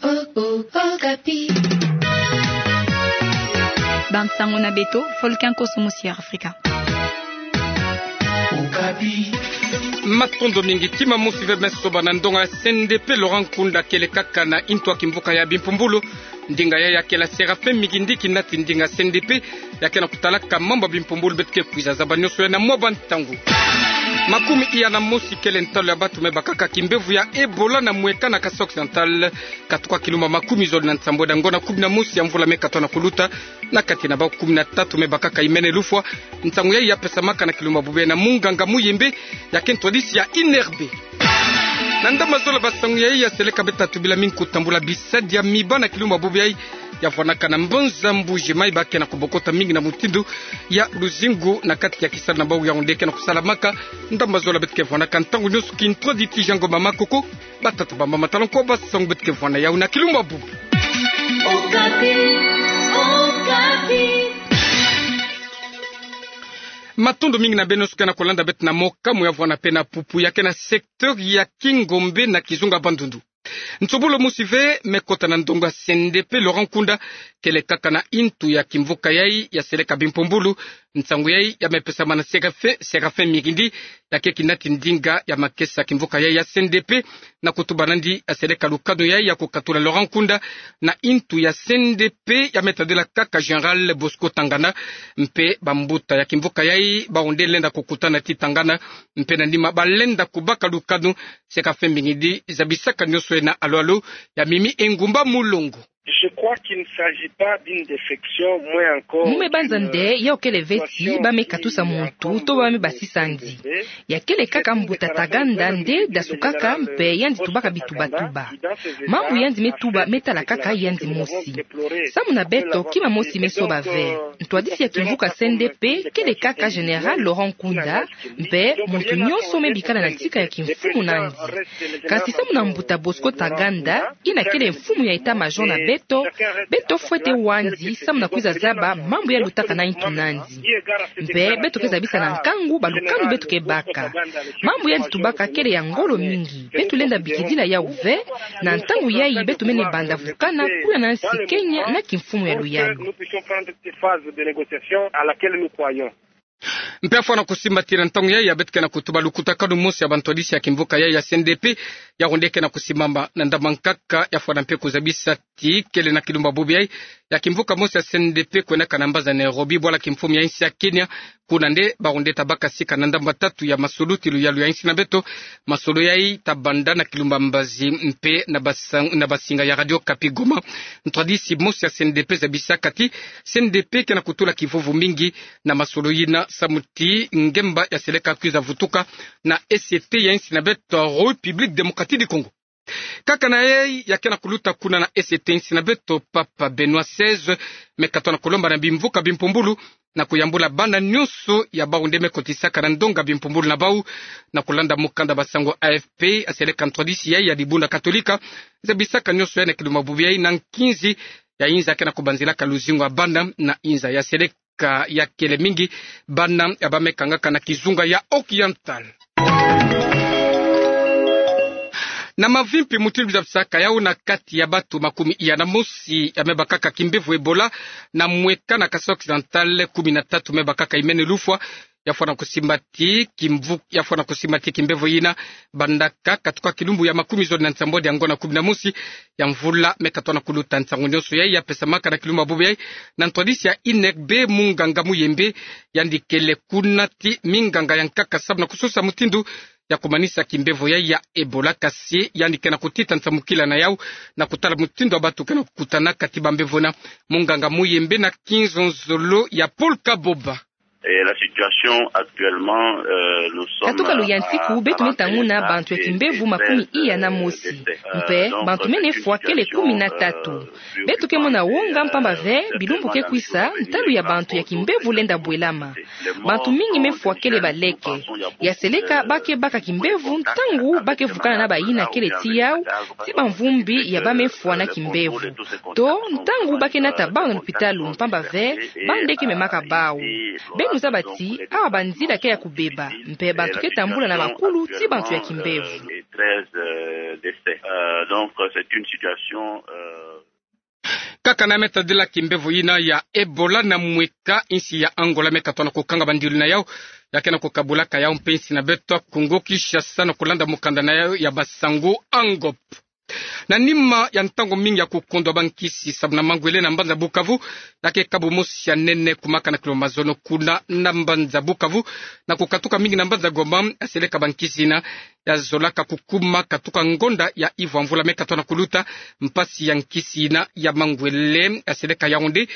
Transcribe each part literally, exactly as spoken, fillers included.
Okapi. Bansango na beto, foluki nkoso mosi ya Afrika. Matondo mingi. Kima mosi ve me soba na ndonga ya C N D P, Laurent Nkunda kele kaka na ntu ya kimvuka ya bimpumbulu. Ndinga yayi ya kela Séraphin Mikindi, kinati ndinga C N D P, ya ke na kutalaka mambu ya bimpumbulu beto ke kwiza zaba nioso yayi na mwa bantangu. Makumi iya na mosi kele ntalu ya bantu me bakaka kimbevo ya Ebola na mweka na Kasaï Occidental, katuka kilumbu makumi zole na nsambwadi ya ngona kumi na mosi ya mvula me katoa na kuluta. Na kati na bawu kumi na tatu me bakaka imene lufwa. Nsangu yayi ya pesamaka na kilumbu bubu yayi na munganga Muyembe, ya ke ntwadisi ya I N R B. Na ndambu zole ba nsangu yayi, ya seleka beto ta tubila mingi kutambula bisadi ya miba na kilumbu bubu yayi, ya vwanaka na mbanza Mbuji-Mayi, ba ke na kubokota mingi na mutindu ya luzingu na kati ya kisalu na bawu. Yaoundé ke na kusalamaka ndambu zole beto ke vwanaka ntangu nioso. Kintwa diti Jean Ngoma Makoko, batata, bamama, tala nko ba nsangu beto ke vwana yawu na kilumbu bubu. Okapi, Okapi. Matondo mingi na beno nioso ke na kulanda beto na mokamo ya vwana pe na pupu ya ke na secteur ya Kingombe na kizunga Bandundu. Nsobolo mosi ve me kota na ndonga ya C N D P, Laurent Nkunda kele kaka na ntu ya kimvuka yayi ya seleka bimpumbulu. Nsangu yayi ya me pesama na Séraphin, Séraphin Mikindi, ya ke kinati ndinga ya makesa kimvuka yayi ya C N D P, na kutuba nandi ya seleka lukanu yayi ya kukatula Laurent Nkunda na ntu ya C N D P ya me tadila kaka Général Bosco Ntaganda. Mpe bambuta ya kimvuka yayi baoundé lenda kukutana ti Ntaganda, mpe na nima balenda kubaka lukanu. Séraphin Mikindi zabisaka nioso yayi na alo-alo ya Mimi Engumba Mulongo. Je crois qu'il ne s'agit pas d'une défection, moins encore. Mu me banza nde yawu kele vesi ba me katusa muntu to ba me basisa nzi. Ya kele kaka mbuta Ntaganda nde dasukaka mpe yandi tubaka bitubatuba. Mambu yandi me tuba me tala kaka yandi mosi. Samu na beto, kima mosi me soba ve. Ntwadisi ya kimvuka C N D P kele kaka Général Laurent Nkunda, mpe muntu nionso me bikala na ntika ya kimfumu nandi. Kasi samu na mbuta Bosco Ntaganda, yina kele mfumu ya état-major na beto, beto fwete wa nzi samu na kwiza zaba mambu ya lutaka na ntu nandi. Mpe beto ke zabisa na nkangu balukanu beto ke baka. Mambu yandi tubaka kele ya ngolo mingi. Beto lenda bikidila yawu ve, na ntangu yayi beto mene banda vukana kuna na nsi Kenya na kimfumu ya luyalu. Mpe ya fwana kusimba ti na ntangu yayi ya beto ke na kutuba lukutakanu mosi ya bantwadisi ya kimvuka yayi ya C N D P, yaoundé ke na kusimbama na ndambu nkaka. Ya fwana mpe kuzabisa ti kele na kilumbu bubu yayi ya kimvuka mosi ya C N D P kwenaka na mbanza Nairobi, bwala kimfumu ya nsi ya Kenya. Kuna nde baoundé tabaka sika na ndambu tatu ya masolo ti luyalu ya nsi na beto. Masolo yayi tabanda na kilumbu mbazi mpe na basang-, na basinga ya Radio Okapi Goma. Ntwadisi mosi ya C N D P zabisaka ti C N D P ke na kutula kivuvu mingi na masolo yina samu ti ngemba ya seleka kwiza vutuka na E C T ya nsi na beto, République Démocratique du Congo. Kaka na yayi ya ke na kuluta kuna na E C T ya nsi na beto, Papa Benoît seize me katoa na kulomba na bimvuka bimpumbulu na kuyambula bana nionso ya bawu nde me kotisaka na ndonga bimpumbulu na bawu. Na kulanda mukanda basango A F P, ya seleka ntwadisi yayi ya dibundu Katolika zabisaka nionso yayi na kilumbu bubu yayi na nkinzi ya inza ke na kubanzilaka luzingu ya bana na inza ya seleka ka ya kele mingi bana ya ba me kangaka na kizunga ya Haut-Oriental. Na mavimpi mutindu zabisaka yawu, na kati ya bantu makumi iya na mosi ya me bakaka kimbevo Ebola na mweka na Kasaï Occidental, kumi na tatu me bakaka imene lufwa. Ya fwana kusimba ti kimvu-, ya fwana kusimba ti kimbevo yina bandaka katuka kilumbu ya makumi zole na nsambwadi ya ngona kumi na mosi ya mvula me katoa na kuluta. Nsangu nionso yayi ya pesamaka na kilumbu bubu yayi na ntwadisi ya I N R B, munganga Muyembe. Yandi kele kuna ti minganga ya nkaka samu na kusosa mutindu ya kumanisa kimbevo yayi ya Ebola, kasi yandi ke na kutita nsamukila na yawu na kutala mutindu ya bantu ke na kukutana kati bambevo na munganga Muyembe na kinzonzolo ya Paul Kaboba. Et la situation actuellement, euh, nous sommes... Katuka luyantiku, beto me tanguna bantu ya kimbevo makumi iya na mosi. Mpe bantu mene fwa kele kumi na tatu. Beto ke mona wonga mpamba ve bilumbu ke kwisa, ntalu ya bantu ya kimbevo lenda bwelama. Bantu mingi me fwa kele baleke. Ya seleka ba ke baka kimbevo ntangu ba ke vukana na bayina kele ti yawu, ti bamvumbi ya ba me fwa na kimbevo. To ntangu ba ke nata bawu na lupitalu, mpamba ve ba nde ke memaka bawu. Beno Kusaba ti awa banzila ke ya kubeba, mpe bantu ke tambula na bakulu ti bantu ya kimbevo. Kaka na me tadila kimbevo yina ya Ebola, na mweka insi ya Angola me katoa na kukanga bandilu na yau, ya ke na kukabulaka yau mpe insi na beto Kongo Kinshasa, na kulanda mukanda na yau ya basangu Angop. Na nima ya ntangu mingi ya kukondwa bankisi samu na mangwele na mbanza Bukavu, ya ke kabu mosi ya nene kumaka na kilomètre mazono kuna na mbanza Bukavu, na kukatuka mingi na mbanza Goma, ya seleka bankisi yina ya zolaka kukuma katuka ngonda ya ivwa mvula me katoa na kuluta. Mpasi ya nkisi yina ya mangwele ya seleka Yaoundé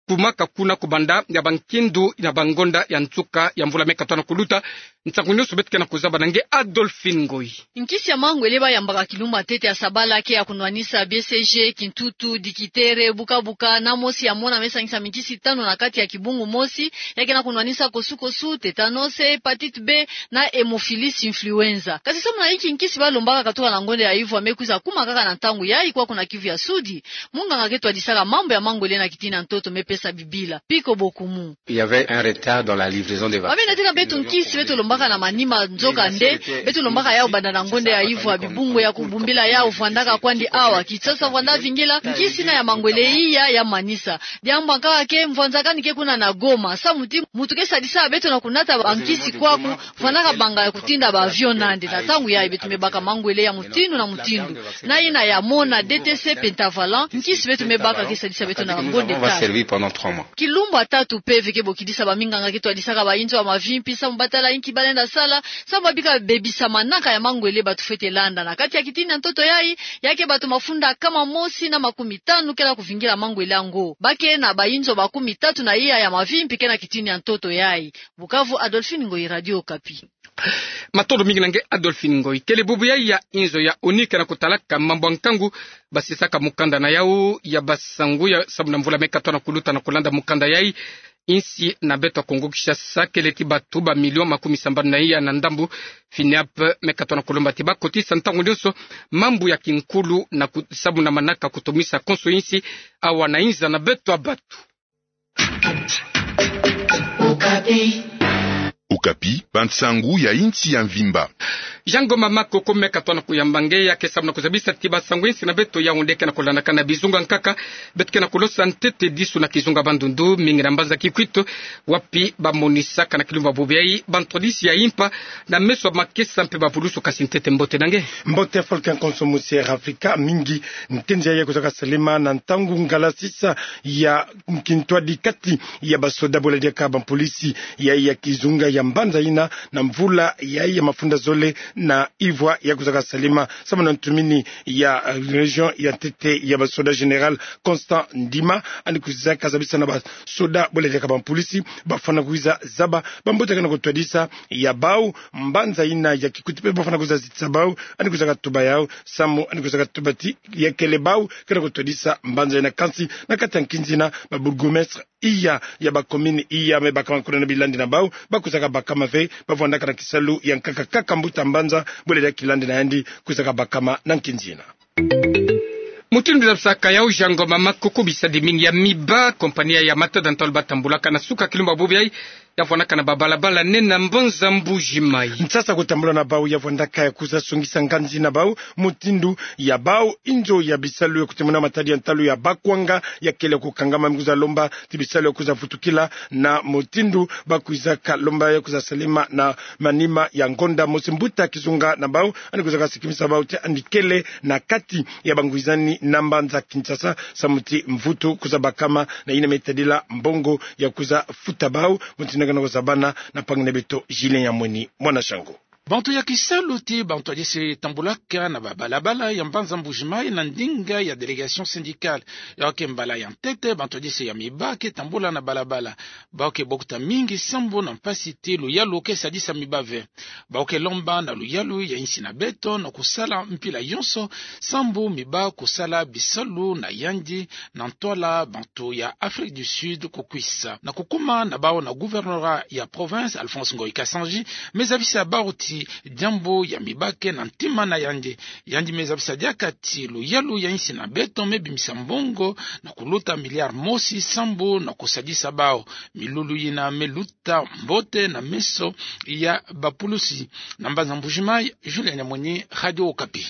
kumaka kuna kubanda ya bankindu na bangonda ya nsuka ya mvula me katoa na kuluta. Nsangu nyonso beto ke na kuzaba na nge Adolphine Ngoyi. Nkisi ya mangwele bayambaka kilumbu ya ntete ya sabala ke ya kunwanisa B C G, kintutu, dikitere, bukabuka, na mosi ya mona me sangisa minkisi tanu na kati ya kibungu mosi, ya ke na kunwanisa kosukosu, tétanos, hépatite B, na Haemophilus influenza. Kasi samu na inki nkisi balombaka katuka na ngonda ya ivwa me kwiza kuma kaka na ntangu yayi kwaku na Kivu ya Sudi? Munganga ke twadisaka mambu ya mangwele na kitini ya ntoto me pesa bibila, Piko Bokumu. Il y avait un retard dans la livraison des vaccins. Ba me natila beto nkisi beto lombaka na manima, nzoka nde beto lombaka yau banda na ngonda ya ivwa. Bibungu ya kubumbila yau vwandaka kwandi awa Kinshasa, vwanda vingila nkisi yina ya mangwele iya ya manisa. Diambu ya nkaka ke mvwanzakani ke kuna na Goma, samu ti muntu ke sadisa beto na kunata bankisi kwaku, vwandaka banga ya kutinda ba avion nandi. Na ntangu yayi beto me baka mangwele ya mutindu na mutindu, na yina ya mona, D T C, pentavalent, nkisi beto me baka ke sadisa beto na ngonda tatu. Kilumbu ya tatu mpeve ke bokidisa baminganga ke twadisaka bayinzo ya mavimpi samu batala inki balenda sala, samu babika bebisa manaka ya mangwele bato fwete landa. Na kati ya kitini ya ntoto yayi, ya ke bato mafunda kama mosi na makumi tanu ke na kuvingila mangwele yango. Ba ke na bayinzo makumi tatu na iya ya mavimpi ke na kitini ya ntoto yayi. Bukavu, Adolphine Ngoyi, Radio Okapi. Matondo mingi na nge Adolphine Ngoyi. Kele bubu yayi ya inzo ya ONU ke na kutalaka mambu ya nkangu, basisaka mukanda na yau ya basangu ya samu na mvula me katoa na kuluta. Na kulanda mukanda yayi, insi na beto ya Kongo Kinshasa, kele ti bato ba million makumi sambanu na iya na ndambu. FINEAP me katoa na kulomba ti bakotisa ntangu nyonso mambu ya kinkulu na ku-, samu na manaka kutumisa konso insi awa na inza na beto ya bato. Okapi, bansangu ya insi ya mvimba. Jean Ngoma Makoko me katoa na kuyamba nge, ya ke samu na kuzabisa ti basangu insi na beto ya Yaoundé ke na kulandaka na bizunga nkaka. Beto ke na kulosa ntete disu na kizunga Bandundu, mingi na mbanza Kikwit, wapi bamonisaka na kilumbu ya bubu yayi bantwadisi ya impa na meso ya makesa mpe bavulusu. Kasi ntete mbote na nge. Mbote Falcon Konso Musier Africa, mingi ntenzi yayi kwizaka salema na ntangu ngala sisa ya kintwadi kati ya basoda, bo la diaka bampolisi ya, ya kizunga ya mbanza yina, na mvula ya, ya mafunda zole na ivwa ya kwizaka salema. Samu na ntumini ya, eh, région ya ntete ya basoda, Général Constant Ndima, yandi kwizaka zabisa na basoda, bo la diaka bampolisi, bafwana kwiza zaba bambote ke na kutwadisa ya bau, mbanza yina ya Kikwit mpe bafwana kwiza zitisa bau. Yandi kwizaka tuba yau, samu yandi kwizaka tuba ti ya kele bau ke na kutwadisa mbanza yina. Kansi na kati ya nkinzi yina, ba bourgmestre iya ya bacommune iya me bakama kuna na bilandi na bau, bakwizaka bakama ve, bavwandaka na kisalu ya nkaka kaka mbuta mbanza, bo la diaka kilandi na yandi, kwizaka bakama na nkinzi yina. Mutindu zabisaka yau Jean Ngoma Makoko, bisadi mingi ya miba, compagnie ya matada ntalu batambulaka na suka kilumbu ya bubu yayi, ya vwandaka na babalabala nene na mbanza Mbuji Mayi. Nsasa kutambula na bau ya vwandaka ya kwiza songisa nganzi na bau, mutindu ya bau inzo ya bisalu ya kutemuna matadi ya ntalu ya bakwanga ya kele kukangama. Me kwiza lomba ti bisalu ya kwiza vutukila na mutindu bakwizaka lomba ya kwiza salema na manima ya ngonda mosi. Mbuta kizunga na bau yandi kwizaka sikimisa bau ti yandi kele na kati ya bangwizani na mbanza Kinshasa, samu ti mvutu kwiza bakama na yina me tadila mbongo ya kwiza futa bau. Mutindu ke na kuzabana na mpangi na beto Julien Yamweni, mwana Shango. Bantu ya kisalu ti bantwadisi tambulaka na babalabala ya mbanza Mbuji Mayi na ndinga ya délégation syndicale. Yau ke mbala ya ntete bantwadisi ya miba ke tambula na balabala. Bau ke bokuta mingi sambu na mpasi ti luyalu ke sadisa miba ve. Bau ke lomba na luyalu ya insi na beto na kusala mpila yonso sambu miba kusala bisalu na yandi na ntwala bantu ya Afrique du Sud kukwisa. Na kukuma na bau na gouvernorat ya province, Alphonse Ngoyi Kasanji me zabisa bau ti diambu ya mibake na ntima na yandi. Yandi me zabisa diaka ti luyalu ya insi na beto me bimisa mbongo na kuluta milliard mosi sambu na kusadisa bawu. Milulu yina me luta mbote na meso ya bapulusi. Na mbanza Mbuji-Mayi, Julien Nyamwenyi, Radio Okapi.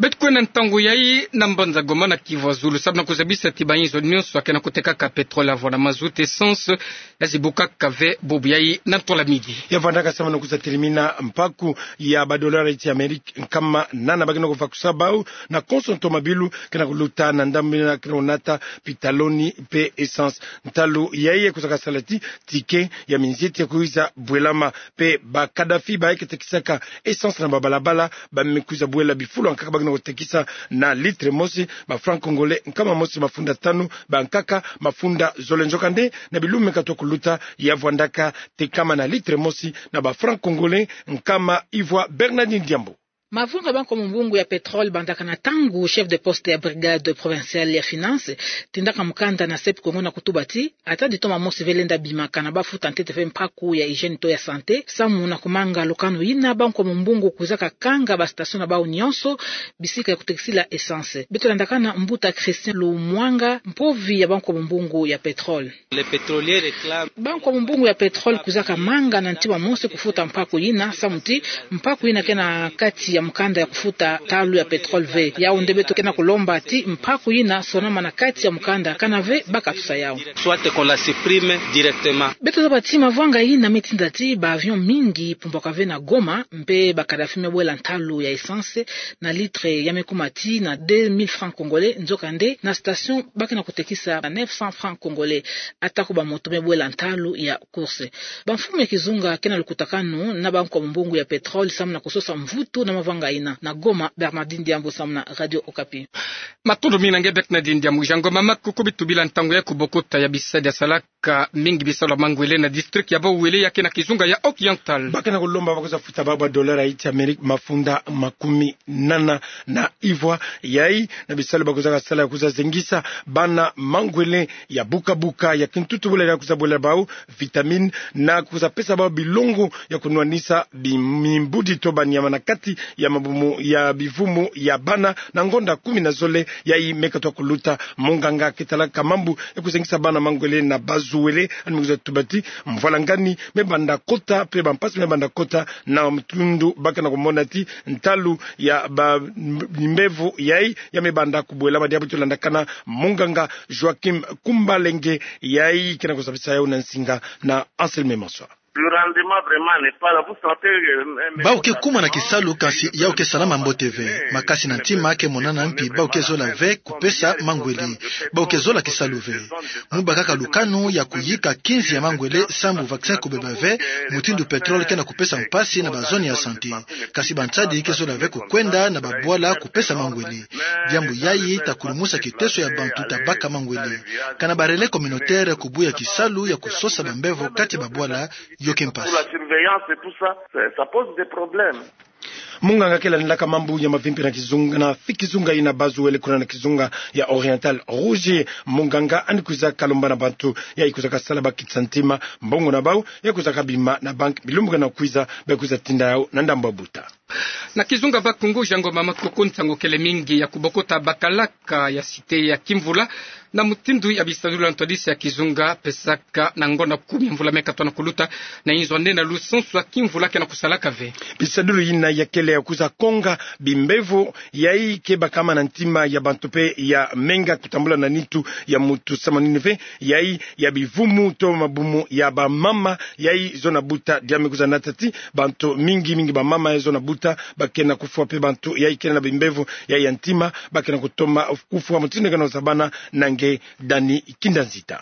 Beto kwenda ntangu yayi na mbanza Goma na Kivu ya Zulu, samu na kuzabisa ti bayinzo nyonso ya ke na kutekaka pétrole, avo na mazout, essence, ya zibukaka ve bubu yayi na ntola midi. Ya vandaka samu na kwiza telimina mpaku ya ba dollars ya Amérique nkama nana ba ke na kuvakusa bawu na konso nto mabilu ke na kuluta na ndambu yina ke na kunata pitaloni pe essence. Ntalu yayi ya kwizaka sala ti ticket ya minzeti ya kwiza bwelama pe ba Kadhafi bayi ke tekisaka essence na babalabala, ba me kwiza bwela bifulu ya nkaka ba ke na kutekisa na litre mosi ba francs congolais nkama mosi mafunda tanu, ba nkaka mafunda zole. Nzokande, na bilumbu me katuka kuluta, ya vwandaka tekama na litre mosi na ba francs congolais nkama ivwa. Bernardine Diambu. Mavanga ya ba nkomo mbungu ya pétrole bandaka na ntangu chef de poste ya brigade provinciale ya finance tindaka mukanda na SEP Congo na kutuba ti ata ditoma mosi ve lenda bimaka na ba futa ntete ve mpaku ya hygiène to ya santé, samu na kumanga lukanu yina ba nkomo mbungu kwizaka kanga ba station na bawu nyonso, bisika ya kutekisila essence. Beto landakana mbuta Christian Lumwanga, mpovi ya ba nkomo mbungu ya pétrole. Ba nkomo mbungu ya pétrole kwizaka manga na ntima mosi kufuta mpaku yina, samu ti mpaku yina ke na kati ya mukanda ya kufuta ntalu ya pétrole ve. Yawu nde beto ke na kulomba ti mpaku yina sonama na kati ya mukanda, kana ve ba katusa yawu. Beto zaba ti mavanga yina me tinda ti ba avion mingi pumbwaka ve na Goma, mpe ba Kadhafi me bwela ntalu ya essence na litre ya me kuma ti na deux mille francs congolais, nzokande na station ba ke na kutekisa na neuf cents francs congolais. Atako ba moto me bwela ntalu ya course. Bamfumu ya kizunga ke na lukutakanu na ba nkomo mbungu ya pétrole samu na kusosa mvutu na mavanga yina. Na Goma, Bernardine Diambu samu na Radio Okapi. Matondo mingi na nge Bernardine Diambu. Jean Ngoma Makuku, bitubila ntangu ya kubokota ya bisadi ya salaka mingi bisalu ya mangwele na district ya Bas-Uele ya ke na kizunga ya Haut-Oriental. Ba ke na kulomba ba kwiza futa bawu ba dollars ya insi ya Amérique mafunda makumi nana na ivwa. Yayi na bisalu ba kwizaka sala ya kwiza zengisa bana mangwele ya buka-buka ya kintutu bwela ya kwiza bwela bawu vitamine na kwiza pesa bawu bilongo ya kunwanisa bi-, mimbudi to banyama na kati ya mabumu ya bivumu ya bana na ngonda kumi na zole. Yayi me katuka kuluta. Munganga ke talaka mambu ya kuzengisa bana mangwele na Bas-Uele, yandi me kwiza tuba ti mvwalangani me banda kota, pe bampasi me banda kota na mutindu ba ke na kumona ti ntalu ya ba-, bimbevo yayi ya me banda kubwelama. Diambu to landakana munganga Joachim Kumbalenge, yayi ke na kuzabisa yawu na nsinga na Anselme Maswa. Bawu ke kuma na kisalu, kasi yawu ke salama mbote ve. Makasi na ntima ke monana, mpi bawu ke zola ve kupesa mangwele. Bawu ke zola kisalu ve. Mu bakaka lukanu ya kuyika kinzi ya mangwele sambu vaccin kubeba ve, mutindu pétrole ke na kupesa mpasi na ba zone ya santé. Kasi bansadi ke zola ve kukwenda na babwala kupesa mangwele. Diambu yayi ta kulumusa kiteso ya bantu ta baka mangwele. Kana ba relais communautaire kubuya kisalu ya kusosa bambevo kati babwala, yo ke mpasi. Munganga ke landilaka mambu ya mavimpi na kizunga, na fi kizunga yina Bas-Uele, kuna na kizunga ya Oriental Rouge, munganga yandi kwizaka lomba na bantu yayi kwizaka sala ba kitisa ntima mbongo na bawu ya kwizaka bima na banque bilumbu ke na kwiza, ba kwiza tinda yawu na ndambu ya buta. Na kizunga Bas-Congo, Jean Ngoma Makuku, nsangu kele mingi ya kubokota bakalaka ya cité ya kimvula na mutindu ya bisadulu ya ntwadisi ya kizunga pesaka na ngonda kumi ya mvula me katuka na kuluta, na inzo nde na lusansu ya kimvula ke na kusalaka ve. Bisadulu yina ya kele ya kwiza konga bimbevo yayi ke bakama na ntima ya bantu pe ya menga kutambula na nitu ya mutu samu na nini ve, yayi ya bivumu to mabumu ya bamama yayi zo na buta. Diambu me kwiza nata ti bantu mingi mingi, bamama yayi zo na buta, ba ke na kufwa, pe bantu yayi kele na bimbevo yayi ya ntima ba ke na kutoma kufwa. Mutindu ke na kusabana na nge Dani Kindanzita.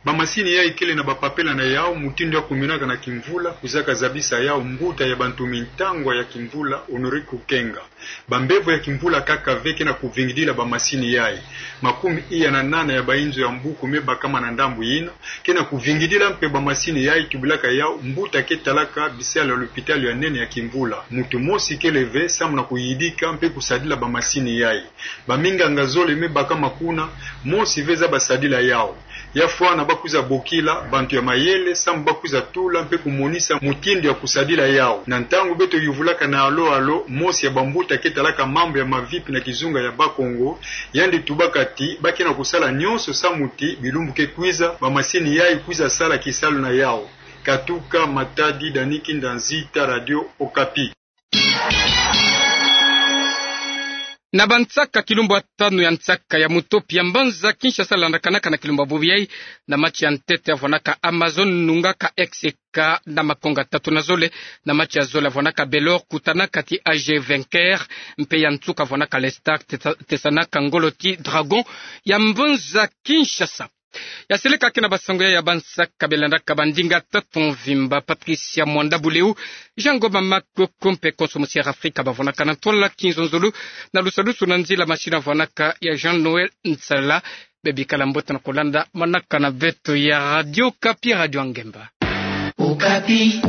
Bamasini yayi kele na bapapela na yawu mutindu ya kuminaka na kimvula kwizaka zabisa yawu mbuta ya bantu mintangwa ya kimvula, Honore Kukenga. Bambevo ya kimvula kaka ve ke na kuvingidila bamasini yayi. Makumi iya na nana ya bainzo ya mbuku me bakama na ndambu yina ke na kuvingidila, mpe bamasini yayi tubilaka yawu mbuta ke talaka bisalu ya lupitalu ya nene ya kimvula. Mutu mosi kele ve samu na kuyidika mpe kusadila bamasini yayi. Baminganga zole me bakama kuna, mosi ve zaba sadila yawu. Ya fwana bakwiza bokila bantu ya mayele samu bakwiza tula mpe kumonisa mutindu ya kusadila yau. Na ntangu beto yuvulaka na alo-alo, mosi ya bambuta ke talaka mambu ya mavipi na kizunga ya Bakongo, yandi tubaka ti ba ke na kusala nyonso samu ti bilumbu ke kwiza, bamasini yayi kwiza sala kisalu na yau. Katuka Matadi, Dani Kinda Nzita, Radio Okapi. Na bansaka kilumbu ya tanu ya nsaka ya mutopi ya mbanza Kinshasa landakanaka na kilumbu ya bobo yayi, na match ya ntete avwanaka Amazone nungaka X K na makonga tatu na zole. Na match ya zole avwanaka Belor kutanaka ti A G Vainqueur, mpe ya nsuka avwanaka Lestar tesa-, tesanaka ngolo ti Dragon ya mbanza Kinshasa. Ya seleka ke na basango ya, ya bansaka belandaka bandinga tatu mvimba. Patricia Mwanda Buleu, Jean Ngoma Makoko mpe Konso Musier Afrika bavwanaka na ntwala kinzonzolo, na lusalusu na nzila masini avwanaka ya Jean Noël Nsala. Bebikala mbote na kulanda manaka na beto ya Radio Okapi, Radio ya Ngemba. Okapi.